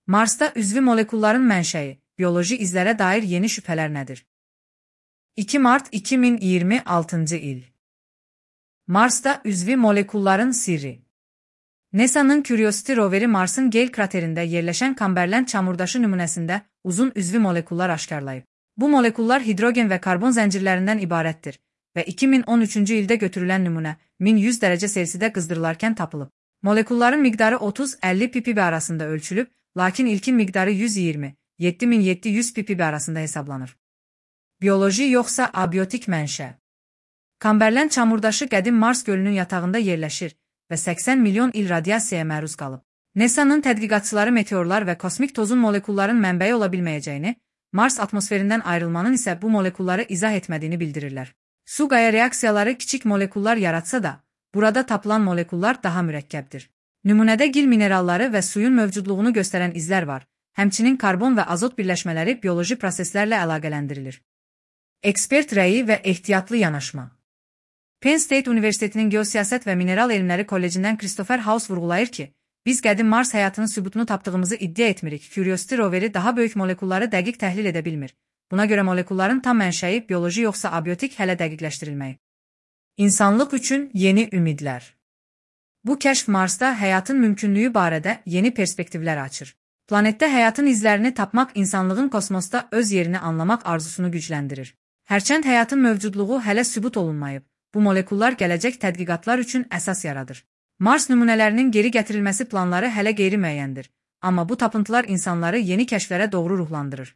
Marsda üzvi molekulların mənşəyi, bioloji izlərə dair yeni şübhələr nədir? 2 Mart 2026 il. Marsda üzvi molekulların sirri. NASA'nın Curiosity roveri Marsın Gale kraterində yerləşən Kamberland çamurdaşı nümunəsində uzun üzvi molekullar aşkarlayıb. Bu molekullar hidrogen və karbon zəncirlərindən ibarətdir və 2013-cü ildə götürülən nümunə 1100 dərəcə Selsidə qızdırılarkən tapılıb. Molekulların miqdarı 30-50 ppb arasında ölçülüb, lakin ilkin miqdarı 120-7700 ppb arasında hesablanır. Bioloji yoxsa abiotik mənşə. Kamberland çamurdaşı qədim Mars gölünün yatağında yerləşir və 80 milyon il radiasiyaya məruz qalıb. NASA'nın tədqiqatçıları meteorlar və kosmik tozun molekulların mənbəyi ola bilməyəcəyini, Mars atmosferindən ayrılmanın isə bu molekulları izah etmədiyini bildirirlər. Su-qaya reaksiyaları kiçik molekullar yaratsa da, burada tapılan molekullar daha mürəkkəbdir. Nümunədə gil mineralları və suyun mövcudluğunu göstərən izlər var, həmçinin karbon və azot birləşmələri bioloji proseslərlə əlaqələndirilir. Ekspert rəyi və ehtiyatlı yanaşma. Penn State Universitetinin Geosiyasət və Mineral Elmləri Kollecindən Christopher House vurğulayır ki, biz qədim Mars həyatının sübutunu tapdığımızı iddia etmirik. Curiosity roveri daha böyük molekulları dəqiq təhlil edə bilmir. Buna görə molekulların tam mənşəyi bioloji yoxsa abiotik hələ dəqiqləşdirilməyib. İnsanlıq üçün yeni ümidlər. Bu kəşf Marsda həyatın mümkünlüyü barədə yeni perspektivlər açır. Planetdə həyatın izlərini tapmaq insanlığın kosmosda öz yerini anlamaq arzusunu gücləndirir. Hərçənd həyatın mövcudluğu hələ sübut olunmayıb, bu molekullar gələcək tədqiqatlar üçün əsas yaradır. Mars nümunələrinin geri gətirilməsi planları hələ qeyri-müəyyəndir, amma bu tapıntılar insanları yeni kəşflərə doğru ruhlandırır.